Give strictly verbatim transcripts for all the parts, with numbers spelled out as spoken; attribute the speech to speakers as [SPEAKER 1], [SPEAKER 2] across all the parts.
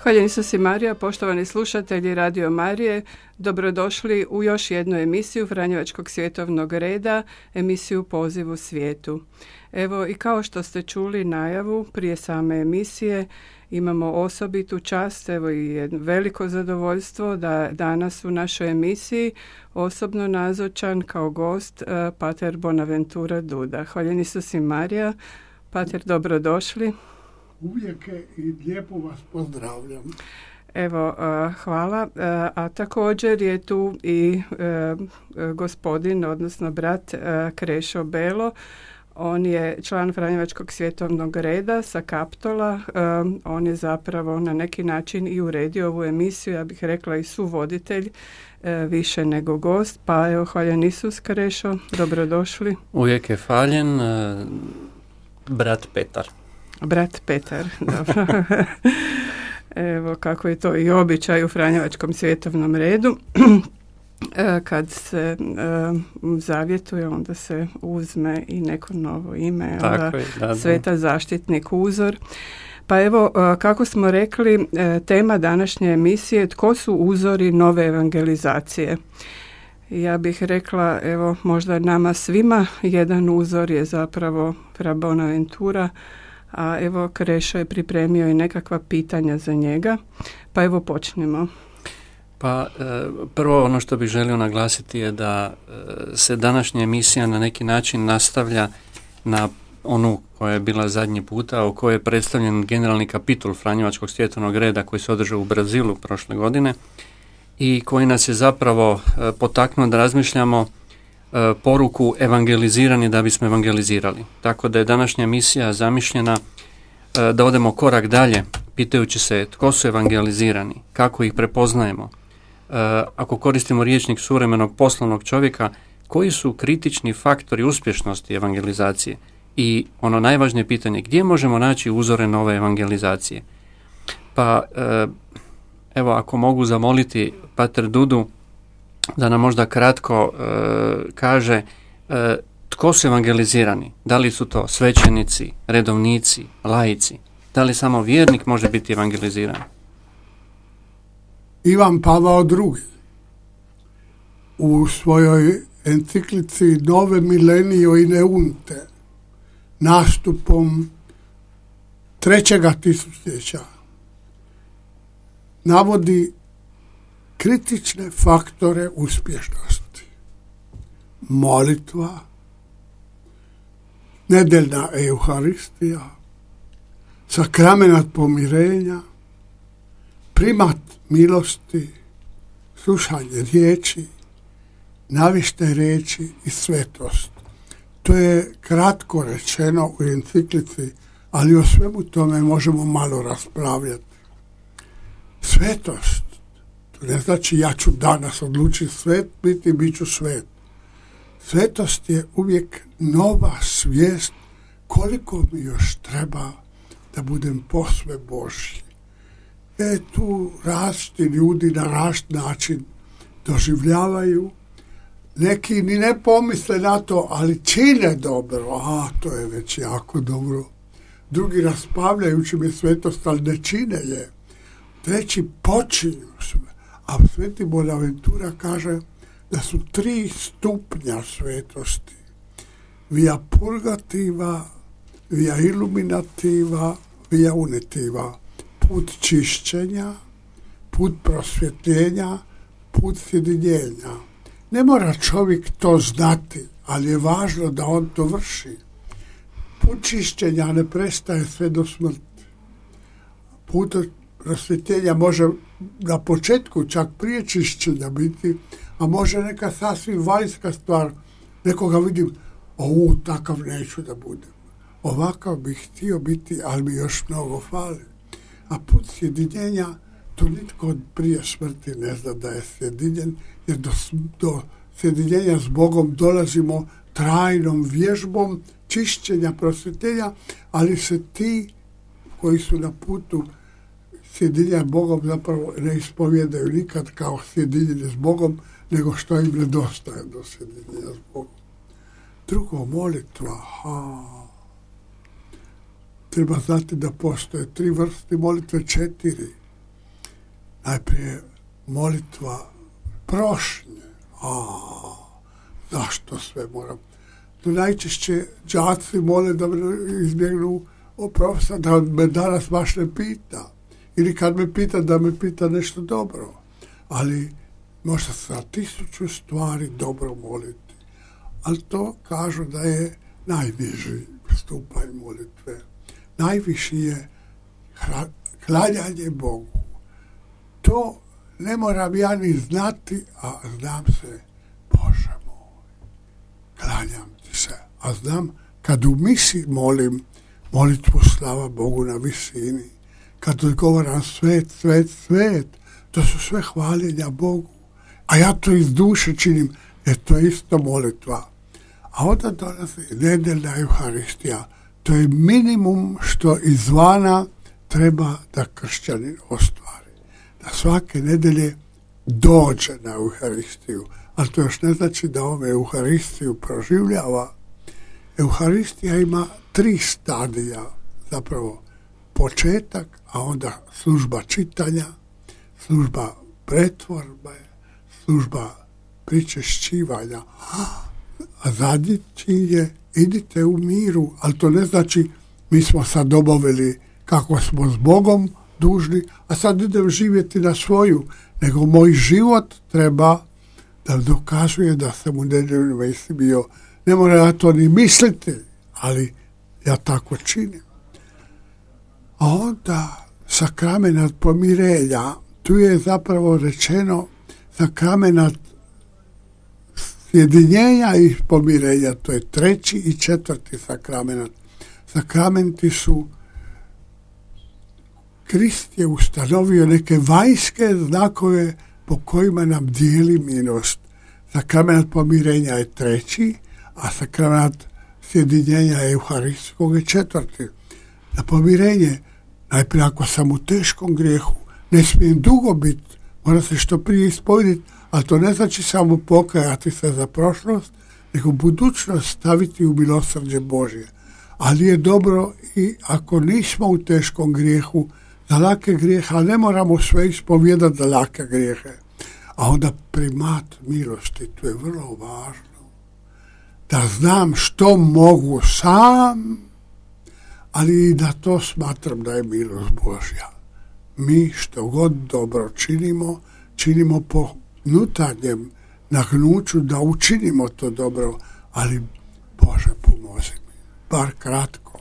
[SPEAKER 1] Hvala Isus i Marija, poštovani slušatelji Radio Marije, dobrodošli u još jednu emisiju Franjevačkog svjetovnog reda, emisiju Poziv u svijetu. Evo i kao što ste čuli najavu prije same emisije, imamo osobitu čast, evo i jedno veliko zadovoljstvo da danas u našoj emisiji osobno nazočan kao gost uh, pater Bonaventura Duda. Hvala Isus i Marija, pater, dobrodošli.
[SPEAKER 2] Uvijek je i lijepo vas pozdravljam.
[SPEAKER 1] Evo, uh, hvala. Uh, a također je tu i uh, gospodin, odnosno brat uh, Krešo Belo. On je član Franjevačkog svjetovnog reda sa Kaptola. Uh, on je zapravo na neki način i uredio ovu emisiju, ja bih rekla i suvoditelj, uh, više nego gost. Pa evo, hvaljen Isus, Krešo, dobrodošli.
[SPEAKER 3] Uvijek je hvaljen uh, brat Petar.
[SPEAKER 1] Brat Petar, dobro. Evo kako je to i običaj u Franjevačkom svjetovnom redu. Kad se uh, zavjetuje, onda se uzme i neko novo ime, onda
[SPEAKER 3] je, da, da.
[SPEAKER 1] Sveta zaštitnik uzor. Pa evo, uh, kako smo rekli, uh, tema današnje emisije, tko su uzori nove evangelizacije? Ja bih rekla, evo, možda nama svima jedan uzor je zapravo Fra Bonaventura, a evo Krešo je pripremio i nekakva pitanja za njega, pa evo počnemo.
[SPEAKER 3] Pa prvo ono što bih želio naglasiti je da se današnja emisija na neki način nastavlja na onu koja je bila zadnji puta, u kojoj je predstavljen generalni kapitul Franjevačkog svjetovnog reda koji se održao u Brazilu prošle godine i koji nas je zapravo potaknuo da razmišljamo poruku evangelizirani da bismo evangelizirali. Tako da je današnja misija zamišljena da odemo korak dalje, pitajući se tko su evangelizirani, kako ih prepoznajemo. Ako koristimo rječnik suvremenog poslovnog čovjeka, koji su kritični faktori uspješnosti evangelizacije? I ono najvažnije pitanje, gdje možemo naći uzore nove evangelizacije? Pa evo, ako mogu zamoliti pater Dudu da nam možda kratko e, kaže e, tko su evangelizirani, da li su to svećenici, redovnici, laici, da li samo vjernik može biti evangeliziran?
[SPEAKER 2] Ivan Pavao drugi u svojoj enciklici Nove Milenio in Eunte nastupom trećega tisućljeća navodi kritične faktore uspješnosti. Molitva, nedeljna euharistija, sakramenat pomirenja, primat milosti, slušanje riječi, navište riječi i svetost. To je kratko rečeno u enciklici, ali o svemu tome možemo malo raspravljati. Svetost, to ne znači ja ću danas odlučiti svet, biti bit ću svet. Svetost je uvijek nova svijest koliko mi još treba da budem posve Božji. E tu različiti ljudi na različit način doživljavaju. Neki ni ne pomisle na to, ali čine dobro. A, to je već jako dobro. Drugi raspavljajući mi svetost, ali ne čine je. Treći počinju sve. A Sveti Bonaventura kaže da su tri stupnja svetosti. Via purgativa, via illuminativa, via unitiva. Put čišćenja, put prosvjetljenja, put sjedinjenja. Ne mora čovjek to znati, ali je važno da on to vrši. Put čišćenja ne prestaje sve do smrti. Put prosvjetljenja može na početku čak prije čišćenja biti, a može neka sasvim vanjska stvar. Nekoga vidim, o, takav neću da budem. Ovakav bih htio biti, ali mi još mnogo fali. A put sjedinjenja, to nitko prije smrti ne zna da je sjedinjen, jer do, do sjedinjenja s Bogom dolazimo trajnom vježbom čišćenja, prosvjetljenja, ali se ti koji su na putu sjedinjenja s Bogom zapravo ne ispovjedaju nikad kao sjedinjenje s Bogom, nego što im nedostaje do sjedinjenja s Bogom. Drugo, molitva. Ha. Treba znati da postoje tri vrste molitve, četiri. Najprije molitva prošnje. A, zašto sve moram? Tu najčešće đaci mole da me izbjegnu o profesor, da me danas baš ne pita. Ili kad me pita, da me pita nešto dobro. Ali možda sa tisuću stvari dobro moliti. Ali to kažu da je najniži stupanj molitve. Najviši je klanjanje Bogu. To ne moram ja ni znati, a znam se, Bože moj, klanjam ti se. A znam, kad u misi molim molitvu slava Bogu na visini, kad odgovaram svet, svet, svet, to su sve hvaljenja Bogu. A ja to iz duše činim, jer to je isto molitva. A onda dolazi nedeljna Euharistija. To je minimum što izvana treba da kršćanin ostvari. Da svake nedelje dođe na Euharistiju. Ali to još ne znači da on Euharistiju proživljava. Euharistija ima tri stadija. Zapravo početak, a onda služba čitanja, služba pretvorbe, služba pričešćivanja. A zadnji čin je idite u miru, ali to ne znači mi smo sad obavili kako smo s Bogom dužni, a sad idem živjeti na svoju, nego moj život treba da dokazuje da sam u nedeljnoj misi bio. Ne mora ja to ni misliti, ali ja tako činim. A onda sakramenat pomirenja, tu je zapravo rečeno sakramenat sjedinjenja i pomirenja, to je treći i četvrti sakramenat. Sakramenti su, Krist je ustanovio neke vanjske znakove po kojima nam dijeli milost. Sakramenat pomirenja je treći, a sakramenat sjedinjenja euharistskog je četvrti. Na pomirenje, najprije ako sam u teškom grijehu, ne smijem dugo biti, mora se što prije ispovediti, ali to ne znači samo pokajati se za prošlost, nego budućnost staviti u milosrđe Božje. Ali je dobro i ako nismo u teškom grijehu, za lake grijehe, ali ne moramo sve ispovjedati za lake grijehe. A onda primat milosti, to je vrlo važno. Da znam što mogu sam, ali i da to smatram da je milost Božja. Mi što god dobro činimo, činimo po unutarnjem nagnuću da učinimo to dobro, ali Bože pomozi mi, bar kratko.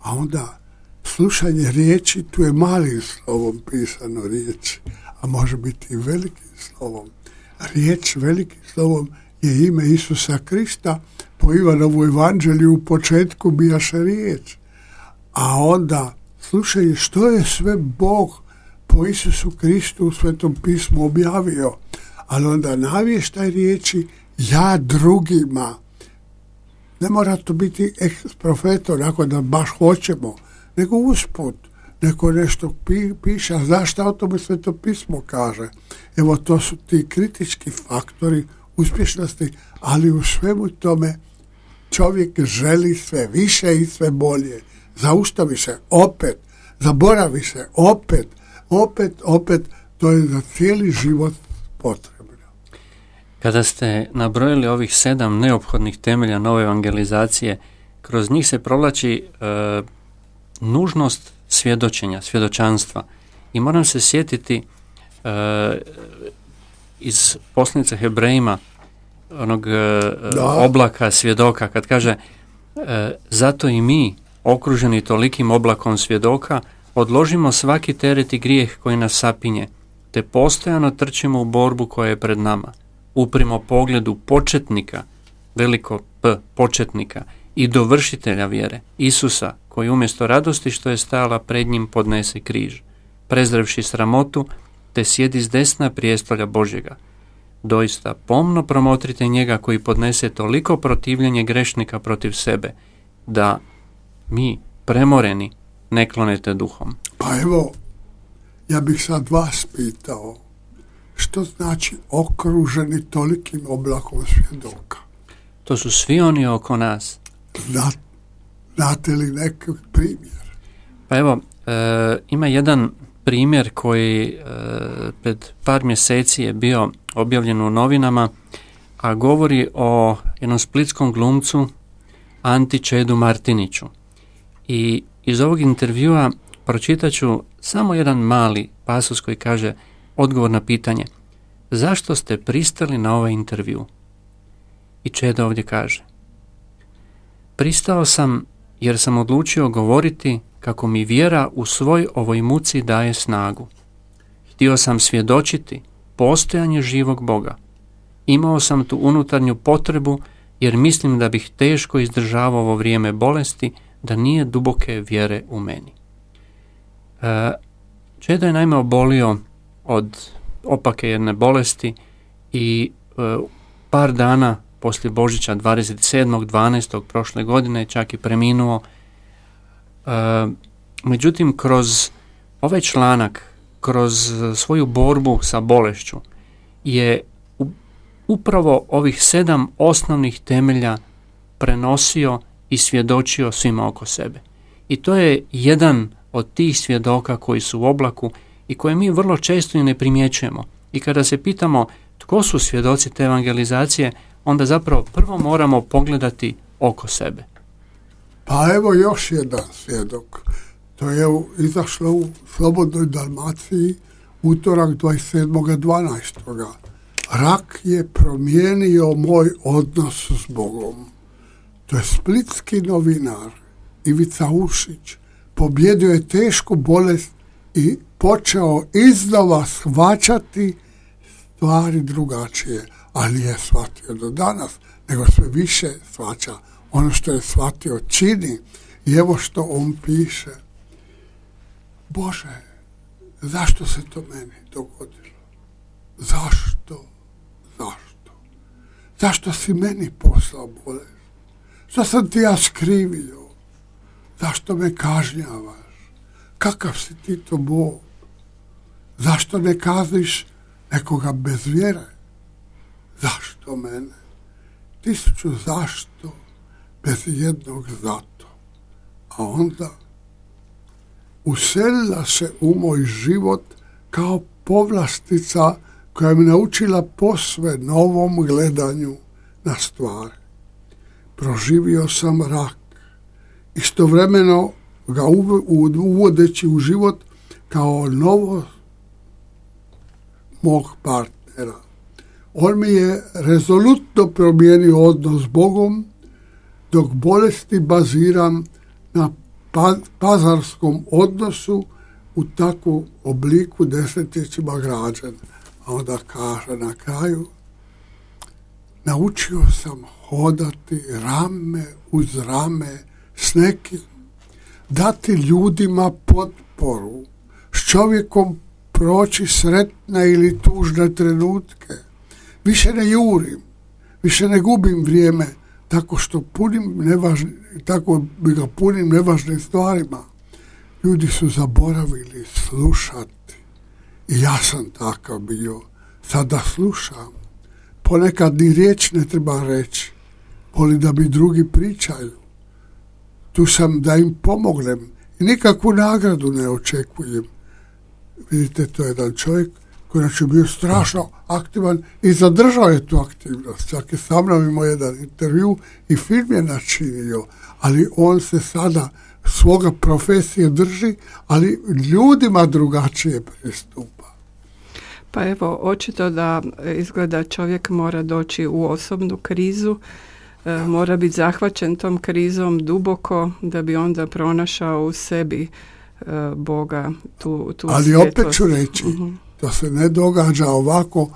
[SPEAKER 2] A onda slušanje riječi, tu je malim slovom pisano riječ, a može biti i velikim slovom. Riječ velikim slovom je ime Isusa Krista, po Ivanovu evanđelju u početku bijaše riječ. A onda slušaj što je sve Bog po Isusu Kristu u Svetom pismu objavio, ali onda navještaj riječi ja drugima. Ne mora to biti ex profeto, onako da baš hoćemo, nego usput, neko nešto pi, piše, a znaš šta o tome Sveto pismo kaže? Evo, to su ti kritički faktori uspješnosti, ali u svemu tome čovjek želi sve više i sve bolje. Zaustavi se opet, zaboravi se opet, opet, opet, to je za cijeli život potrebno.
[SPEAKER 3] Kada ste nabrojili ovih sedam neophodnih temelja nove evangelizacije, kroz njih se provlači e, nužnost svjedočenja, svjedočanstva. I moram se sjetiti e, iz poslanice Hebrejima, onog e, oblaka svjedoka, kad kaže e, zato i mi, okruženi tolikim oblakom svjedoka, odložimo svaki teret i grijeh koji nas sapinje, te postojano trčimo u borbu koja je pred nama. Uprimo pogledu početnika, veliko P, početnika, i dovršitelja vjere, Isusa, koji umjesto radosti što je stajala pred njim podnese križ, prezrevši sramotu, te sjedi s desna prijestolja Božjega. Doista, pomno promotrite njega koji podnese toliko protivljenje grešnika protiv sebe, da mi, premoreni, ne klonete duhom.
[SPEAKER 2] Pa evo, ja bih sad vas pitao, što znači okruženi tolikim oblakom svjedoka?
[SPEAKER 3] To su svi oni oko nas.
[SPEAKER 2] Zna, znate li neki primjer?
[SPEAKER 3] Pa evo, e, ima jedan primjer koji e, pred par mjeseci je bio objavljen u novinama, a govori o jednom splitskom glumcu Anti Čedu Martiniću. I iz ovog intervjua pročitat ću samo jedan mali pasus koji kaže odgovor na pitanje zašto ste pristali na ovaj intervju. I Čeda ovdje kaže: pristao sam jer sam odlučio govoriti kako mi vjera u svoj ovoj muci daje snagu. Htio sam svjedočiti postojanje živog Boga. Imao sam tu unutarnju potrebu jer mislim da bih teško izdržavao ovo vrijeme bolesti da nije duboke vjere u meni. E, Čeda je naime obolio od opake jedne bolesti i e, par dana poslije Božića dvadeset sedmog dvanaestog prošle godine čak i preminuo. E, međutim, kroz ovaj članak, kroz svoju borbu sa bolešću je upravo ovih sedam osnovnih temelja prenosio i svjedočio svima oko sebe. I to je jedan od tih svjedoka koji su u oblaku i koje mi vrlo često i ne primjećujemo. I kada se pitamo tko su svjedoci te evangelizacije, onda zapravo prvo moramo pogledati oko sebe.
[SPEAKER 2] Pa evo još jedan svjedok. To je izašlo u Slobodnoj Dalmaciji utorak dvadeset sedmog dvanaestog Rak je promijenio moj odnos s Bogom. To je splitski novinar Ivica Ušić. Pobjedio je tešku bolest i počeo iznova shvaćati stvari drugačije, ali nije shvatio do danas, nego sve više shvaća. Ono što je shvatio čini. I evo što on piše: Bože, zašto se to meni dogodilo? Zašto? Zašto? Zašto si meni poslao bolest? Što sam ti ja skrivio? Zašto me kažnjavaš? Kakav si ti to Bog? Zašto ne kazniš nekoga bez vjere? Zašto mene? Tisuću zašto bez jednog zato. A onda uselila se u moj život kao povlastica koja me naučila posve novom gledanju na stvari. Proživio sam rak, istovremeno ga uvodeći u život kao novo mog partnera. On mi je rezolutno promijenio odnos s Bogom, dok bolesti baziram na pazarskom odnosu u takvom obliku desetljećima građen. A onda kaže na kraju: naučio sam hodati rame uz rame s nekim, dati ljudima potporu, s čovjekom proći sretne ili tužne trenutke. Više ne jurim, više ne gubim vrijeme tako što punim nevažni, tako bi ga punim nevažnim stvarima. Ljudi su zaboravili slušati i ja sam takav bio. Sada slušam. Ponekad ni riječ ne treba reći. Volim da mi drugi pričaju. Tu sam da im pomognem i nikakvu nagradu ne očekujem. Vidite, to je jedan čovjek koji je bio strašno aktivan i zadržao je tu aktivnost. Čak je sa mnom imao jedan intervju i film je načinio, ali on se sada svoga profesije drži, ali ljudima drugačije pristupa.
[SPEAKER 1] Pa evo, očito da izgleda čovjek mora doći u osobnu krizu, e, mora biti zahvaćen tom krizom duboko da bi onda pronašao u sebi e, Boga, tu, tu
[SPEAKER 2] ali svjetlost. Opet ću reći, uh-huh. to se ne događa ovako,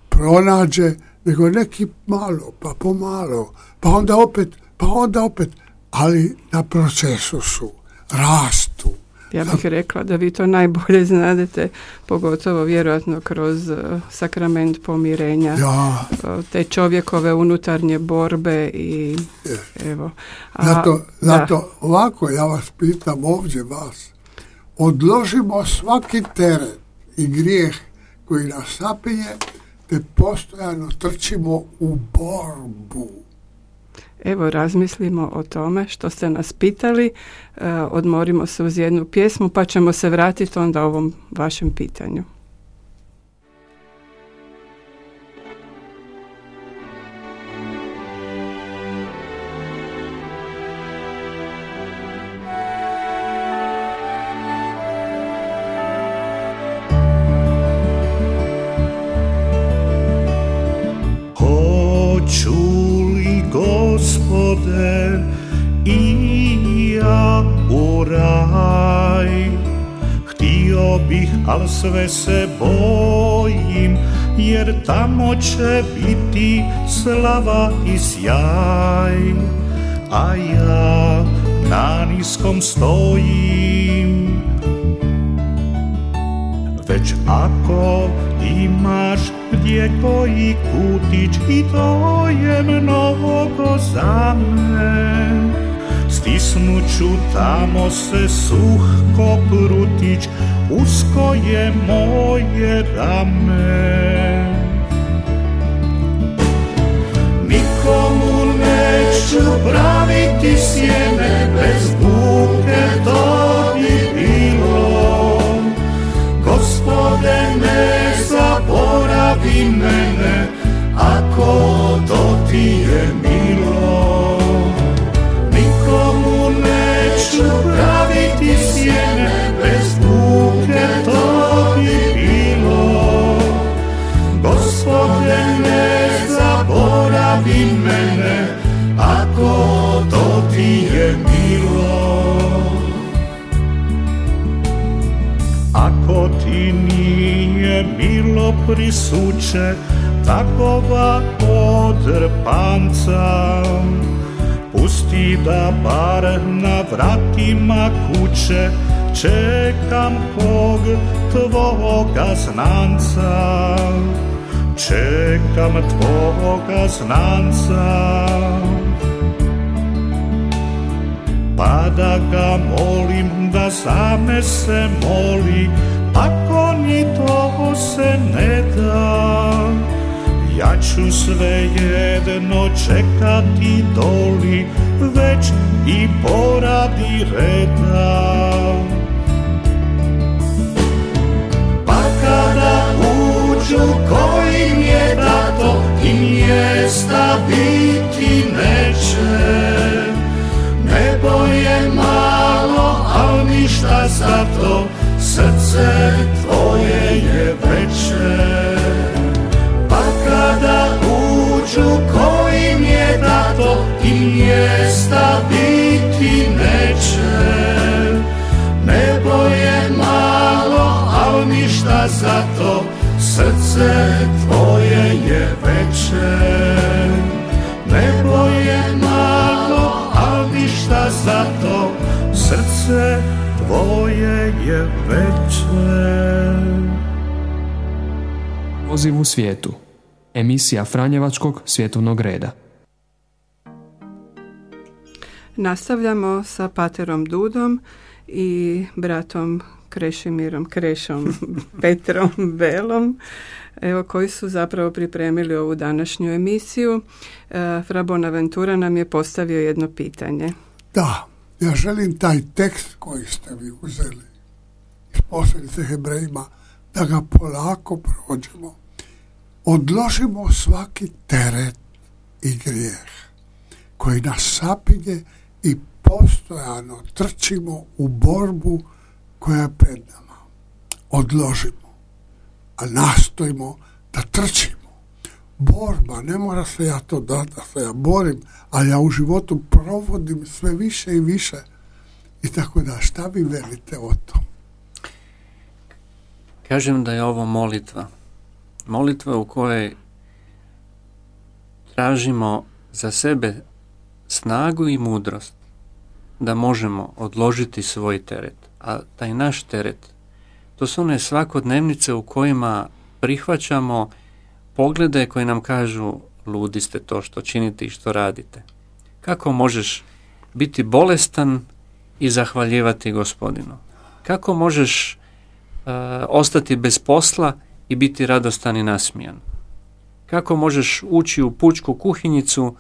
[SPEAKER 2] pronađe, nego neki malo, pa pomalo, pa onda opet, pa onda opet, ali na procesu su, rastu.
[SPEAKER 1] Ja bih rekla da vi to najbolje znadete, pogotovo vjerojatno kroz uh, sakrament pomirenja,
[SPEAKER 2] ja.
[SPEAKER 1] uh, te čovjekove unutarnje borbe i
[SPEAKER 2] je.
[SPEAKER 1] Evo. A,
[SPEAKER 2] zato, zato ovako ja vas pitam ovdje vas, odložimo svaki teret i grijeh koji nas sapinje, te postojano trčimo u borbu.
[SPEAKER 1] Evo, razmislimo o tome što ste nas pitali, e, odmorimo se uz jednu pjesmu pa ćemo se vratiti onda ovom vašem pitanju.
[SPEAKER 4] Gospode, i ja u raj htio bih, al sve se bojim, jer tamo će biti slava i sjaj, a ja na niskom stojim. Već ako imaš gdje koji kutić, i to je mnogo za me, stisnuću tamo se suh ko prutić, usko je moje rame. Nikomu neću praviti sjene, bez buke to bi bilo. Gospode, ne zaboravi mene, ako to ti je milo. Nikomu neću praviti sjene, bez buke to bi bilo. Gospode, ne zaboravi mene, ako to ti je milo. Ako ti nije milo prisuće takova odrpanca, pusti da bar na vratima kuće čekam kog tvoga znanca, čekam tvoga znanca. Pa da ga molim da za me se moli, ako ni to se ne da, ja ću svejedno čekati doli, već i poradi reda. Pa kada uđu kojim je dato, i mjesta biti neće, nebo je malo, al ništa zato, srce tvoje je veće. Pa kada uđu kojim je dato, i mjesta biti neće, nebo je malo, al ništa zato, srce tvoje je veće. Nebo je malo, al ništa zato, srce tvoje je veće.
[SPEAKER 5] Poziv u svijetu. Emisija Franjevačkog svjetovnog reda.
[SPEAKER 1] Nastavljamo sa paterom Dudom i bratom Krešimirom Krešom Petrom Belom, evo, koji su zapravo pripremili ovu današnju emisiju. E, Fra Bonaventura nam je postavio jedno pitanje.
[SPEAKER 2] Da, ja želim taj tekst koji ste vi uzeli iz poslanice Hebrejima, da ga polako prođemo. Odložimo svaki teret i grijeh koji nas sapinje i postojano trčimo u borbu koja je pred nama. Odložimo, a nastojimo da trčimo. Borba, ne mora se ja to dati da se ja borim, ali ja u životu provodim sve više i više. I tako da, šta vi velite o tom?
[SPEAKER 3] Kažem da je ovo molitva. Molitva u kojoj tražimo za sebe snagu i mudrost da možemo odložiti svoj teret. A taj naš teret, to su one svakodnevnice u kojima prihvaćamo poglede koji nam kažu ludi ste to što činite i što radite. Kako možeš biti bolestan i zahvaljivati Gospodinu? Kako možeš uh, ostati bez posla i biti radostan i nasmijan? Kako možeš ući u pučku kuhinjicu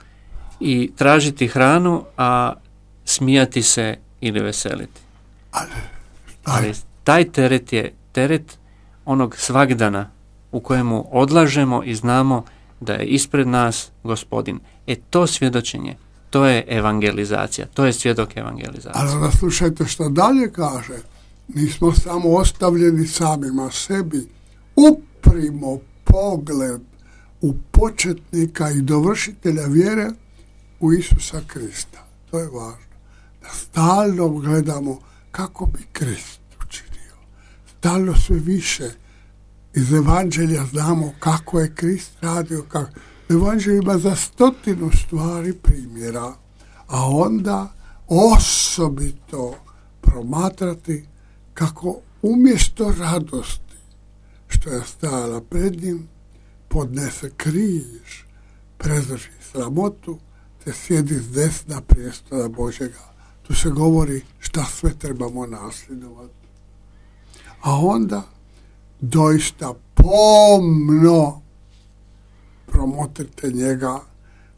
[SPEAKER 3] i tražiti hranu, a smijati se ili veseliti.
[SPEAKER 2] Ali,
[SPEAKER 3] Ali taj teret je teret onog svagdana u kojemu odlažemo i znamo da je ispred nas Gospodin. E to svjedočenje, to je evangelizacija, to je svjedok evangelizacije.
[SPEAKER 2] ali da slušajte što dalje kaže. Nismo samo ostavljeni samima sebi. Uprimo pogled u početnika i dovršitelja vjere u Isusa Krista. To je važno. Da stalno gledamo kako bi Krist učinio. Stalno sve više iz evanđelja znamo kako je Krist radio. Kako... Evanđelj ima za stotinu stvari primjera, a onda osobito promatrati kako umjesto radosti što je stajala pred njim, podnese križ, prezdrži sramotu, te sjedi s desna prijestola Božjega. Tu se govori šta sve trebamo nasljedovati. A onda doista pomno promotrite njega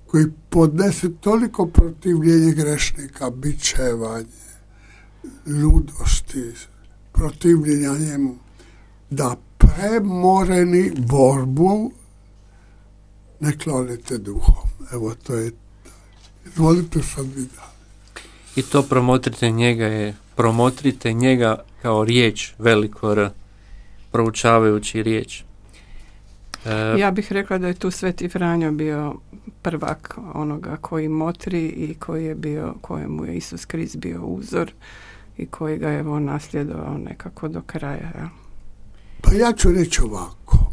[SPEAKER 2] koji podnese toliko protivljenje grešnika, bičevanje, ludosti, protivljenja njemu, da premoreni borbu ne klonite duhom. Evo, to je, izvolite sad vi da.
[SPEAKER 3] I to promotrite njega je, promotrite njega kao riječ, veliko R, proučavajući riječ. E,
[SPEAKER 1] ja bih rekla da je tu Sveti Franjo bio prvak onoga koji motri i koji je bio, kojemu je Isus Krist bio uzor i koji ga je on nasljedovao nekako do kraja. Ja.
[SPEAKER 2] Pa ja ću reći ovako.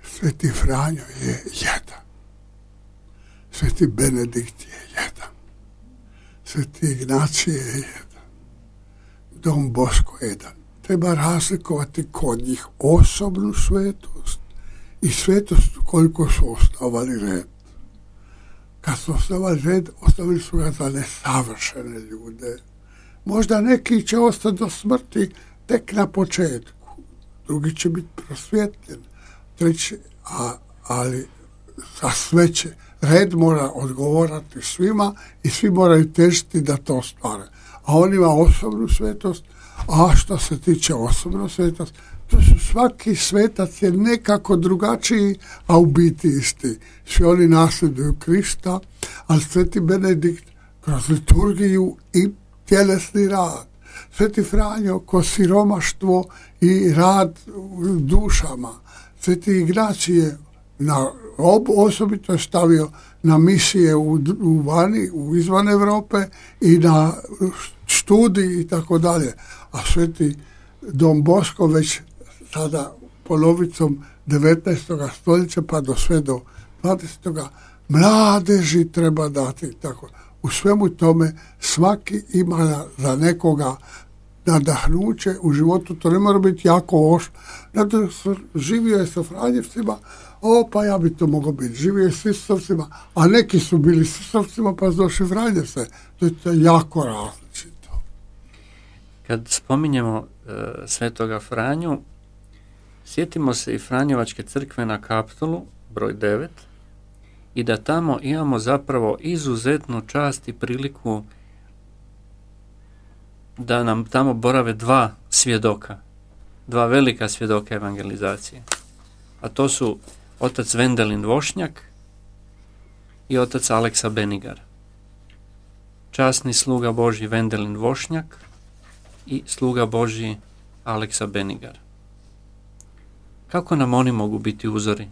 [SPEAKER 2] Sveti Franjo je jedan. Sveti Benedikt je jedan. Sveti Ignacije je jedan. Don Bosko je jedan. Treba razlikovati kod njih osobnu svetost i svetost koliko su osnovali red. Kad su osnovali red, ostavili su ga za nesavršene ljude. Možda neki će ostati do smrti tek na početku. Drugi će biti prosvjetljen. Treći, a, ali za sve će. Red mora odgovorati svima i svi moraju težiti da to ostvare. A on ima osobnu svetost, a što se tiče osobnu svetost, to su svaki svetac je nekako drugačiji, a u biti isti. Svi oni nasljeduju Krista, ali Sveti Benedikt kroz liturgiju i tjelesni rad. Sveti Franjo kroz siromaštvo i rad u dušama. Sveti Ignacije na ob, osobito je stavio na misije u, u vani, u izvan Europe i na studiji i tako dalje. A Sveti Don Bosko već sada polovicom devetnaestog stoljeća pa do sve do dvadesetog mladeži treba dati. Tako. U svemu tome svaki ima za nekoga nadahnuće u životu, to ne mora biti jako oš. Zato živio je sa Franjevcima, o pa ja bi to mogao biti, živio je s Isusovcima, a neki su bili s Isusovcima pa došli Franjevce. To je to jako različito.
[SPEAKER 3] Kad spominjemo uh, Svetoga Franju, sjetimo se i Franjevačke crkve na Kaptolu, broj devet, i da tamo imamo zapravo izuzetnu čast i priliku da nam tamo borave dva svjedoka, dva velika svjedoka evangelizacije. A to su otac Vendelin Vošnjak i otac Aleksa Benigar. Časni sluga Božji Vendelin Vošnjak i sluga Božji Aleksa Benigar. Kako nam oni mogu biti uzori?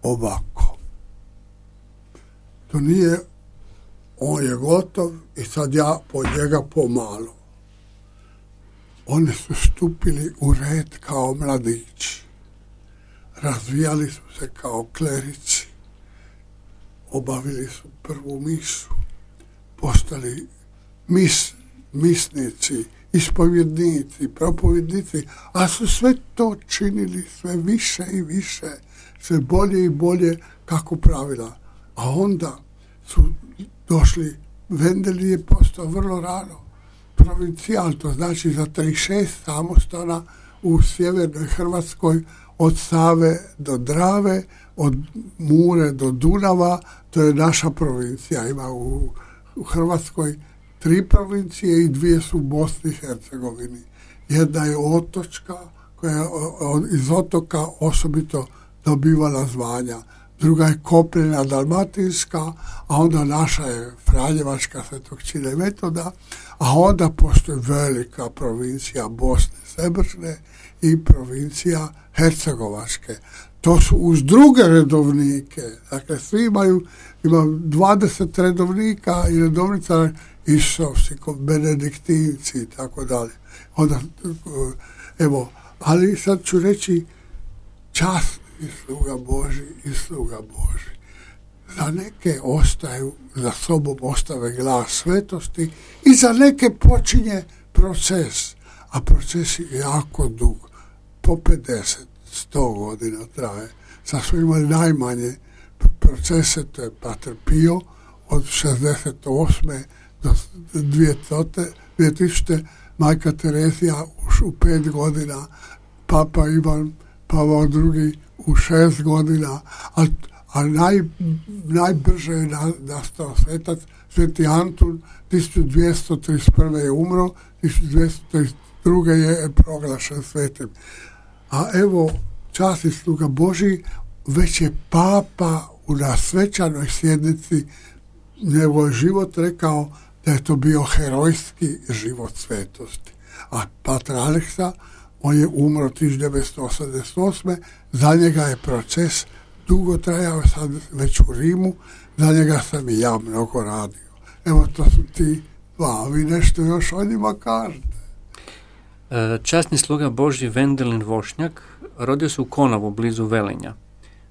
[SPEAKER 2] Ovako. To nije on je gotov i sad ja po njega pomalo. Oni su stupili u red kao mladići. Razvijali su se kao klerici. Obavili su prvu misu. Postali mis, misnici, ispovjednici, propovjednici, a su sve to činili sve više i više, sve bolje i bolje kako pravila. A onda su došli, Vendelin je postao vrlo rano provincijal, to znači za trideset šest samostana u sjevernoj Hrvatskoj od Save do Drave, od Mure do Dunava, to je naša provincija. Ima u, u Hrvatskoj tri provincije i dvije su u Bosni i Hercegovini. Jedna je otočka, koja je iz otoka osobito dobivala zvanja. Druga je kopnena dalmatinska, a onda naša je Franjevačka, Svetog Čira i Metoda, a onda postoji velika provincija Bosne Srebrne i provincija Hercegovačke. To su uz druge redovnike, dakle svi imaju, ima dvadeset redovnika i redovnica Isovci, Benediktinci i tako dalje. Onda, evo, ali sad ću reći čast i sluga Boži i sluga Boži. Za neke ostaju, za sobom ostave glas svetosti i za neke počinje proces, a proces je jako dug, po pedeset, sto godina traje. Sad smo imali najmanje procese, to je Pater Pio od šezdeset osme do dvije tisućite, Majka Terezija u pet godina, Papa Ivan Pavao drugi u šest godina, a, a naj, najbrže je nastao svetac Sveti Antun, tisuću dvjesto trideset prve je umro, tisuću dvjesto trideset druge je proglašen svetim. A evo, čast i sluga Boži, već je Papa u nasvećanoj sjednici njegov život rekao da je to bio herojski život svetosti. A Pater Aleksa, on je umro tisuću devetsto osamdeset osme, za njega je proces dugo trajao, sad već u Rimu, za njega sam i ja mnogo radio. Evo, to su ti dva, vi nešto još o njima kažete.
[SPEAKER 3] Časni sluga Božji Vendelin Vošnjak rodio se u Konovu blizu Velenja.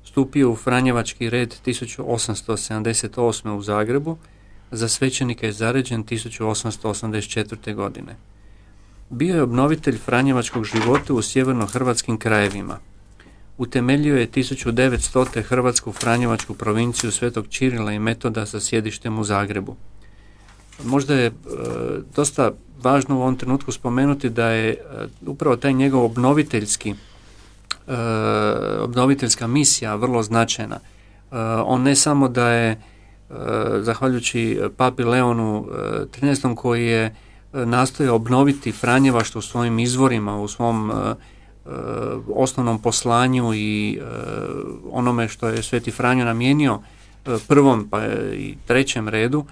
[SPEAKER 3] Stupio u Franjevački red tisuću osamsto sedamdeset osme u Zagrebu, za svećenika je zaređen tisuću osamsto osamdeset četvrte godine. Bio je obnovitelj franjevačkog života u sjeverno-hrvatskim krajevima. Utemeljio je tisuću devetstote Hrvatsku franjevačku provinciju Svetog Čirila i Metoda sa sjedištem u Zagrebu. Možda je e, dosta važno u ovom trenutku spomenuti da je e, upravo taj njegov obnoviteljski e, obnoviteljska misija vrlo značajna. E, on ne samo da je, e, zahvaljujući papi Leonu trinaestom koji je nastoje obnoviti franjevaštvo u svojim izvorima, u svom uh, uh, osnovnom poslanju i uh, onome što je Sveti Franjo namijenio uh, prvom pa i trećem redu, uh,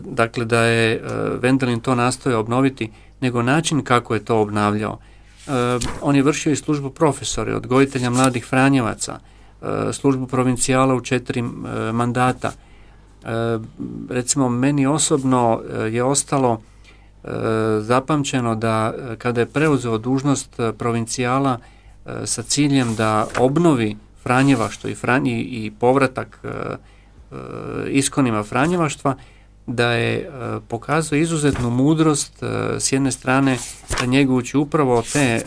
[SPEAKER 3] dakle da je uh, Vendelin to nastoje obnoviti, nego način kako je to obnavljao. Uh, on je vršio i službu profesora, odgojitelja mladih Franjevaca, uh, službu provincijala u četiri uh, mandata. Uh, recimo, meni osobno uh, je ostalo zapamćeno da kada je preuzeo dužnost provincijala sa ciljem da obnovi Franjevaštvo i, Franji, i povratak iskonima Franjevaštva, da je pokazao izuzetnu mudrost s jedne strane njegujući upravo te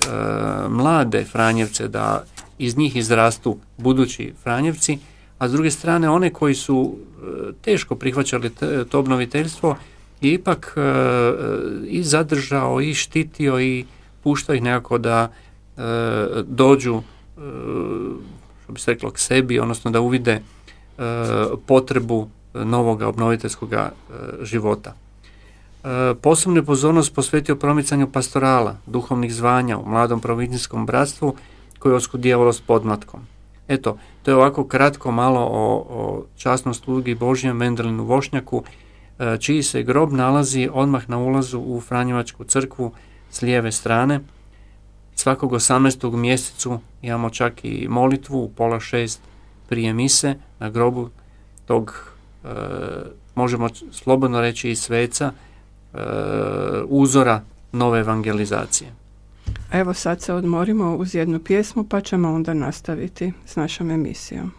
[SPEAKER 3] mlade Franjevce da iz njih izrastu budući Franjevci, a s druge strane one koji su teško prihvaćali to obnoviteljstvo je ipak e, i zadržao i štitio i puštao ih nekako da e, dođu, e, što bi se reklo, k sebi, odnosno da uvide e, potrebu novoga obnoviteljskog e, života. E, posebnu pozornost posvetio promicanju pastorala, duhovnih zvanja u mladom provincijskom bratstvu koje je oskudijevalo s podmlatkom. Eto, to je ovako kratko malo o, o časnom slugi Božjem Vendelinu Vošnjaku, čiji se grob nalazi odmah na ulazu u Franjevačku crkvu s lijeve strane. Svakog osamnaestog mjesecu imamo čak i molitvu u pola šest prije mise na grobu tog, e, možemo slobodno reći i sveca, e, uzora nove evangelizacije.
[SPEAKER 1] Evo sad se odmorimo uz jednu pjesmu pa ćemo onda nastaviti s našom emisijom.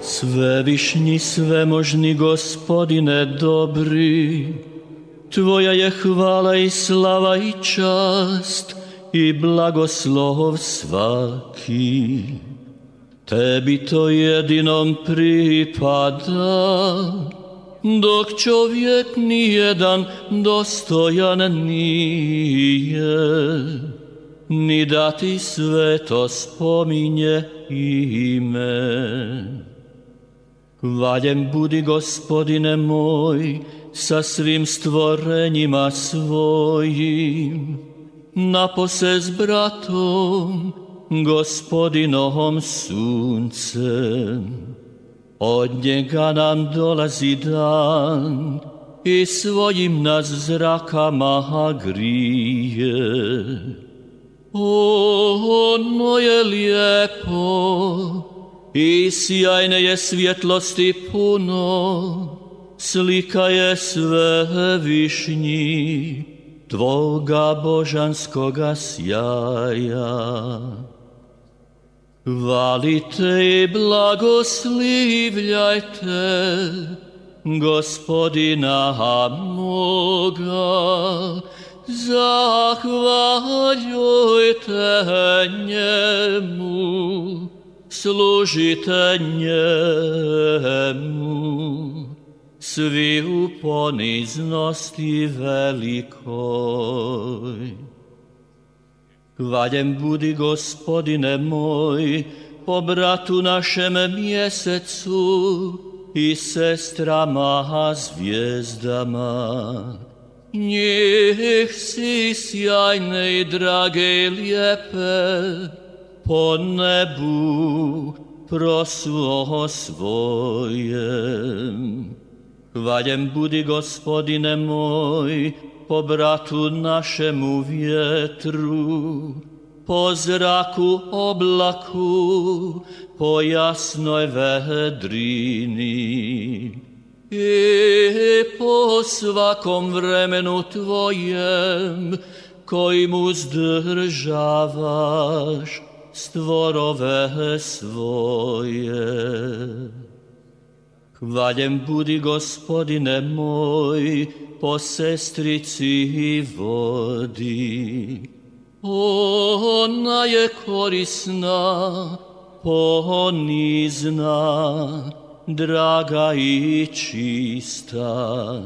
[SPEAKER 6] Svevišnji, svemožni Gospodine dobri, Tvoja je hvala i slava i čast i blagoslov svaki. Tebi to jedinom pripada, dok čovjek nijedan dostojan nije, ni da ti sveto spominje ime. Hvaljen budi, Gospodine moj, sa svim stvorenjima svojim, napose s bratom, Gospodinovom suncem. Od njega nam dolazi dan i svojim nas zrakama grije. Ono je lijepo i sjajne je svjetlosti puno, slika je svevišnji tvoga božanskoga sjaja. Hvalite i blagoslivljajte Gospodina moga, zahvaljujte njemu, služite njemu, svi u poniznosti velikoj. Hvaljen budi, Gospodine moj, po bratu našem mjesecu i sestrama zvijezdama. Njih si sjajne i drage i lijepe po nebu prosvo svojem. Hvaljen budi, Gospodine moj, po bratu našemu vjetru, po zraku oblaku, po jasnoj vedrini i po svakom vremenu tvojem, kojim uzdržavaš stvorove svoje. Hvaljen budi, Gospodine moj, po sestrici i vodi. Ona je korisna, ponizna, draga i čista.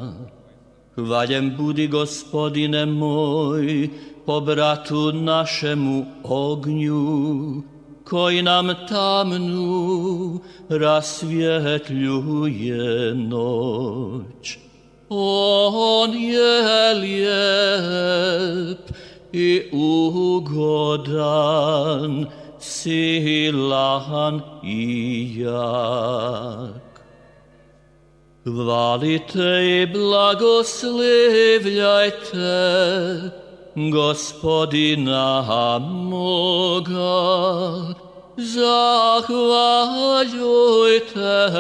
[SPEAKER 6] Hvaljen budi, Gospodine moj, po bratu našemu ognju, koji nam tamnu rasvjetljuje noć. On je lijep i ugodan, silan i jak. Hvalite i blagoslivljajte Gospodina moga, zahvaljujte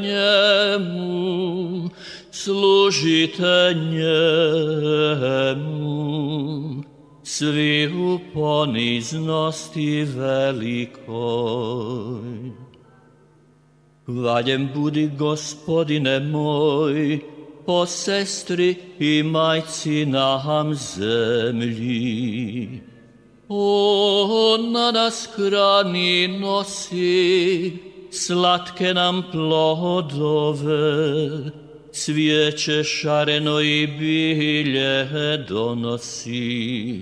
[SPEAKER 6] njemu, služite njemu, svi u poniznosti velikoj. Hvaljen budi, Gospodine moj, po sestri i majci nam zemlji. Ona nas hrani nosi, slatke nam plodove, cvijeće šareno i bilje donosi.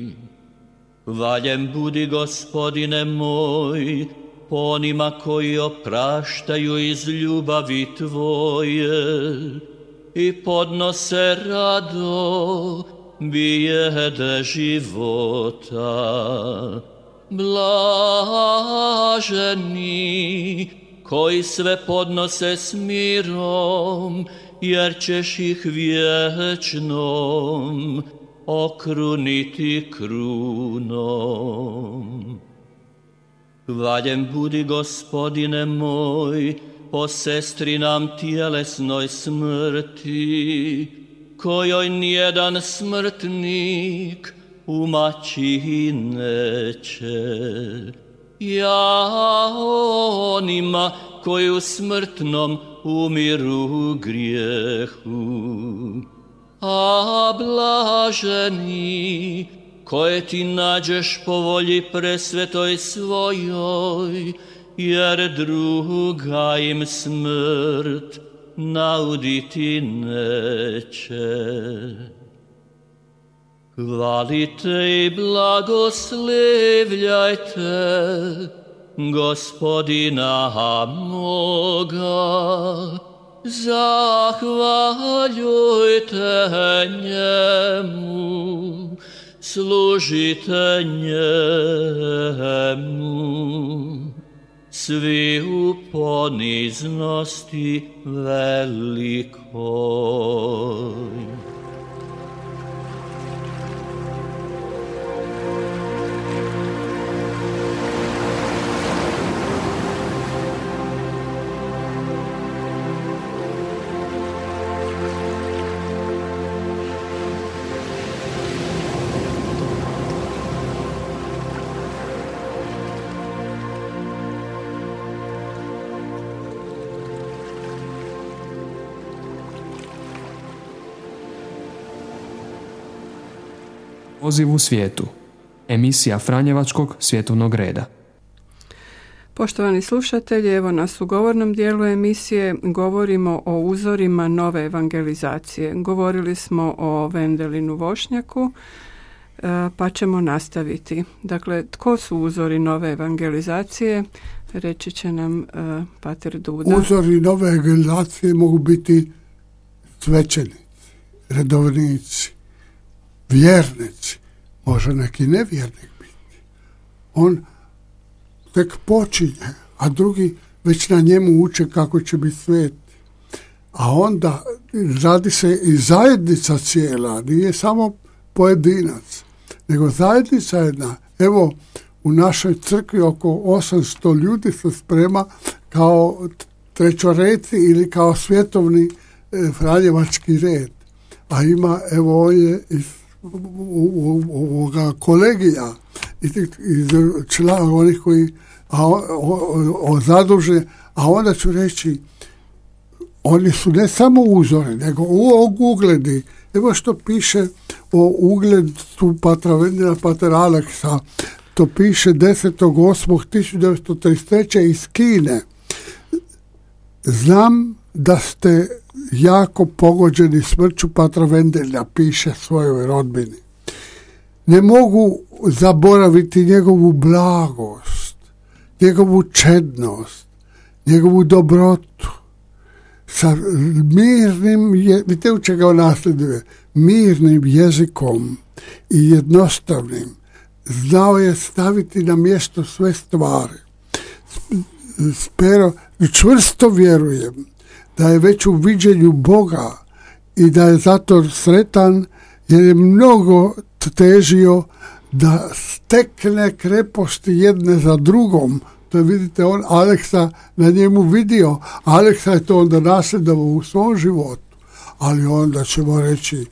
[SPEAKER 6] Hvaljen budi, Gospodine moj, po onima koji opraštaju iz ljubavi tvoje i podnose rado bijede života. Blaženi koji sve podnose s mirom, jer ćeš ih vječnom okruniti krunom. Hvaljen budi, Gospodine moj, po sestri nam tjelesnoj smrti, kojoj nijedan smrtnik umaći neće. Ja onima koji u smrtnom umiru grijehu, a blaženi koje ti nađeš po volji presvetoj svojoj, jer druga im smrt nauditi neće. Hvalite i blagoslevljajte Gospodina moga, zahvaljujte njemu, služite njemu, svi u poniznosti velikoj.
[SPEAKER 5] Poziv u svijetu. Emisija Franjevačkog svjetovnog reda.
[SPEAKER 1] Poštovani slušatelji, evo nas u govornom dijelu emisije govorimo o uzorima nove evangelizacije. Govorili smo o Vendelinu Vošnjaku, pa ćemo nastaviti. Dakle, tko su uzori nove evangelizacije? Reći će nam uh, pater Duda.
[SPEAKER 2] Uzori nove evangelizacije mogu biti svećenici, redovnici, vjernici, može neki nevjernik biti. On tek počinje, a drugi već na njemu uče kako će biti svet. A onda radi se i zajednica cijela, nije samo pojedinac, nego zajednica jedna. Evo, u našoj crkvi oko osamsto ljudi se sprema kao trećoreci ili kao svjetovni e, franjevački red. A ima, evo, je iz ovoga kolegija, iz, iz člana onih koji a, o, o, o zaduže, a onda ću reći, oni su ne samo uzori, nego u ugledi. Evo što piše o ugledu patra Vendela, patra Aleksa. To piše desetog osmog tisuća devetsto trideset treće iz Kine. Znam da ste jako pogođeni smrću patra Vendelja, piše svojoj rodbini. Ne mogu zaboraviti njegovu blagost, njegovu čednost, njegovu dobrotu. Sa mirnim, je, vidite u čega on nasljeduje, mirnim jezikom i jednostavnim. Znao je staviti na mjesto sve stvari. Pero, čvrsto vjerujem da je već u viđenju Boga i da je zato sretan jer je mnogo težio da stekne kreposti jedne za drugom. To je, vidite, on Aleksa na njemu vidio. Aleksa je to onda nasljedovao u svom životu. Ali onda ćemo reći,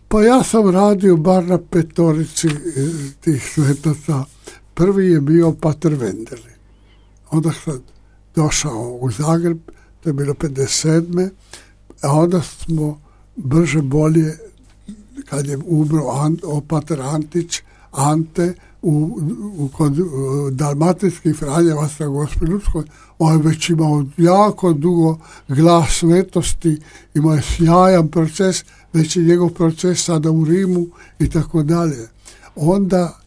[SPEAKER 2] pa ja sam radio bar na petorici tih svetaca. Prvi je bio pater Vendelin. Onda sam došao u Zagreb, to je bilo pedeset sedme a onda smo brže bolje, kad je umro Ant, pater Antić, Ante, u, u, kod u, dalmatinskih Franjevaca Gospelutskoj, on je već imao jako dugo glas svetosti, imao je sjajan proces, već je njegov proces sada u Rimu i tako dalje. Onda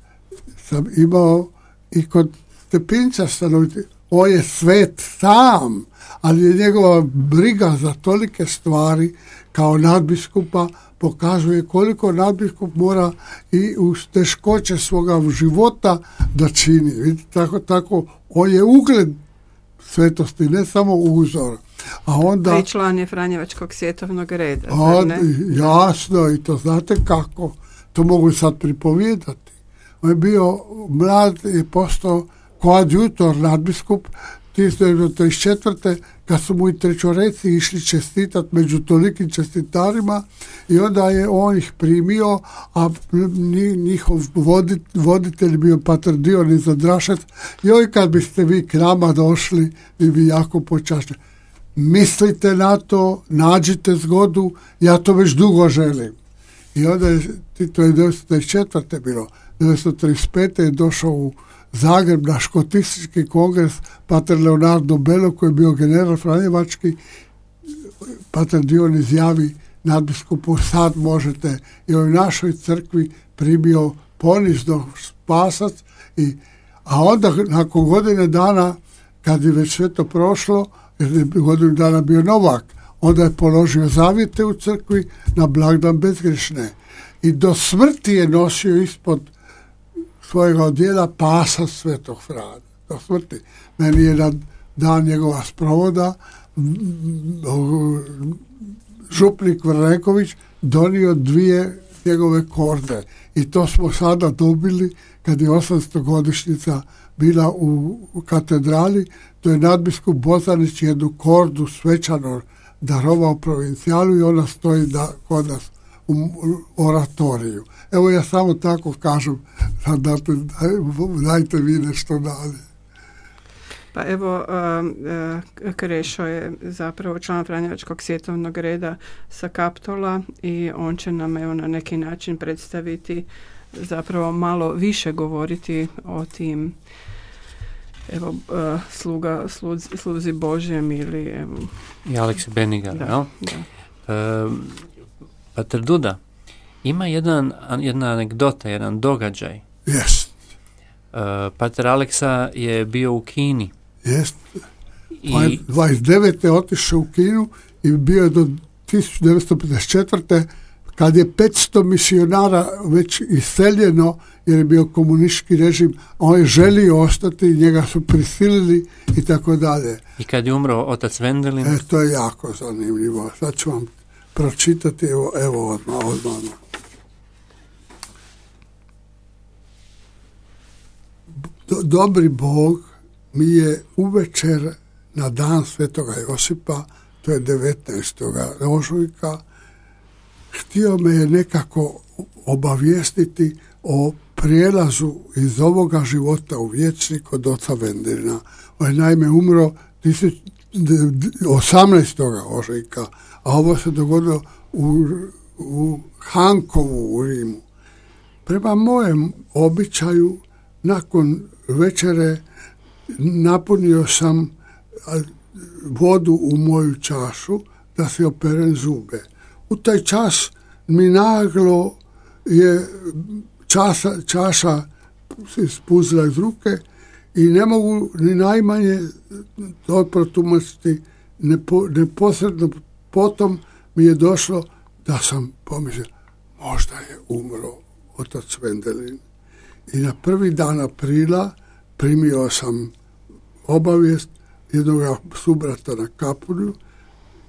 [SPEAKER 2] sam imao i kod Stepinca stanoviti, on je svet sam, ali je njegova briga za tolike stvari kao nadbiskupa pokazuje koliko nadbiskup mora i uz teškoće svoga života da čini. Vidite, tako, tako, on je ugled svetosti, ne samo uzor. A onda...
[SPEAKER 1] I član je Franjevačkog svjetovnog reda.
[SPEAKER 2] A, jasno, i to znate kako. To mogu sad pripovijedati. On je bio mlad i postao koadjutor nadbiskup tisuću devetsto trideset četvrte kad su mu i trećoreci išli čestitat među tolikim čestitarima i onda je on ih primio, a njihov vodit, voditelj bio pater Dionis Zadrašec. Joj, kad biste vi k nama došli, vi bi jako počašćeni. Mislite na to, nađite zgodu, ja to već dugo želim. I onda je, to je devetsto trideset četvrte bilo, devetsto trideset pete je došao u Zagreb na škotistički kongres pater Leonardo Bello, koji je bio general franjevački, pater Dion izjavi nadbiskupu, sad možete, i u našoj crkvi primio ponizno spasac, i, a onda nakon godine dana, kad je već sve to prošlo, jer je godinu dana bio novak, onda je položio zavjete u crkvi na blagdan bezgrešne. I do smrti je nosio ispod svojega odjela pasa Svetog Frana. Do smrti. Meni je na dan njegova sprovoda župnik Vrneković donio dvije njegove korde. I to smo sada dobili kad je osamstogodišnjica bila u, u katedrali. To je nadbiskup Bozanić jednu kordu svečano darovao provincijalu i ona stoji da, kod nas u oratoriju. Evo ja samo tako kažem, dajte, dajte vi nešto dalje.
[SPEAKER 1] Pa evo, Krešo je zapravo član Franjevačkog svjetovnog reda sa Kaptola i on će nam evo na neki način predstaviti, zapravo malo više govoriti o tim evo sluga, sluz, sluzi Božjem ili evo...
[SPEAKER 3] I Aleksi Benigar,
[SPEAKER 1] da,
[SPEAKER 3] jel?
[SPEAKER 1] Da.
[SPEAKER 3] E, Pater Duda, ima jedan, jedna anegdota, jedan događaj.
[SPEAKER 2] Jest.
[SPEAKER 3] E, Pater Aleksa je bio u Kini.
[SPEAKER 2] Jest.
[SPEAKER 3] I
[SPEAKER 2] dvadeset devete otišao u Kinu i bio je do tisuću devetsto pedeset četvrte kad je petsto misionara već iseljeno jer je bio komunistički režim, a on je želio ostati, njega su prisilili i tako dalje.
[SPEAKER 3] I kad je umro otac Vendelin?
[SPEAKER 2] E, to je jako zanimljivo. Sad ću vam pročitati, evo, evo odmah, odmah. Do, dobri Bog mi je uvečer na dan Svetoga Josipa, to je devetnaestog ožujka, htio me je nekako obavijestiti o prijelazu iz ovoga života u vječni kod oca Vendelina. On je naime umro osamnaestog ožujka, a ovo se dogodilo u, u Hankovu u Rimu. Prema mojem običaju, nakon večere napunio sam vodu u moju čašu da si operem zube. U taj čas mi naglo je časa, čaša se spuzila iz ruke i ne mogu ni najmanje to protumačiti. Nepo, neposredno potom mi je došlo da sam pomislio, možda je umro otac Vendelin. I na prvi dan aprila primio sam obavijest jednog subrata na Kapulju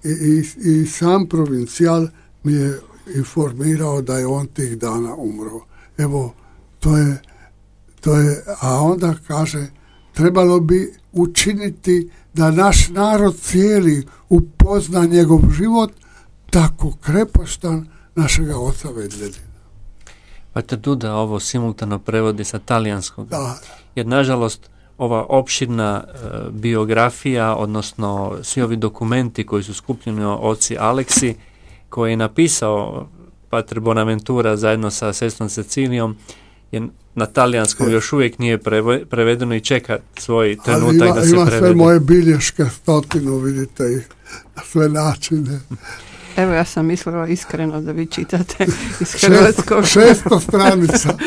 [SPEAKER 2] i, i, i sam provincijal mi je informirao da je on tih dana umro. Evo, to je, to je, a onda kaže, trebalo bi učiniti da naš narod cijeli upozna njegov život tako krepostan našega oca Vendelina.
[SPEAKER 3] Pater Duda ovo simultano prevodi sa talijanskog.
[SPEAKER 2] Da.
[SPEAKER 3] Jer nažalost ova opširna e, biografija, odnosno svi ovi dokumenti koji su skupljeni o oci Aleksi, koji je napisao Pater Bonaventura zajedno sa sestrom Cecilijom, je na talijanskom je. Još uvijek nije prevedeno i čeka svoj trenutak ima, da se
[SPEAKER 2] ima
[SPEAKER 3] prevede.
[SPEAKER 2] Ima sve moje bilješke, stotinu, vidite ih na sve načine.
[SPEAKER 1] Evo, ja sam mislila iskreno da vi čitate iz hrvatskog.
[SPEAKER 2] Šesto, šesto stranica.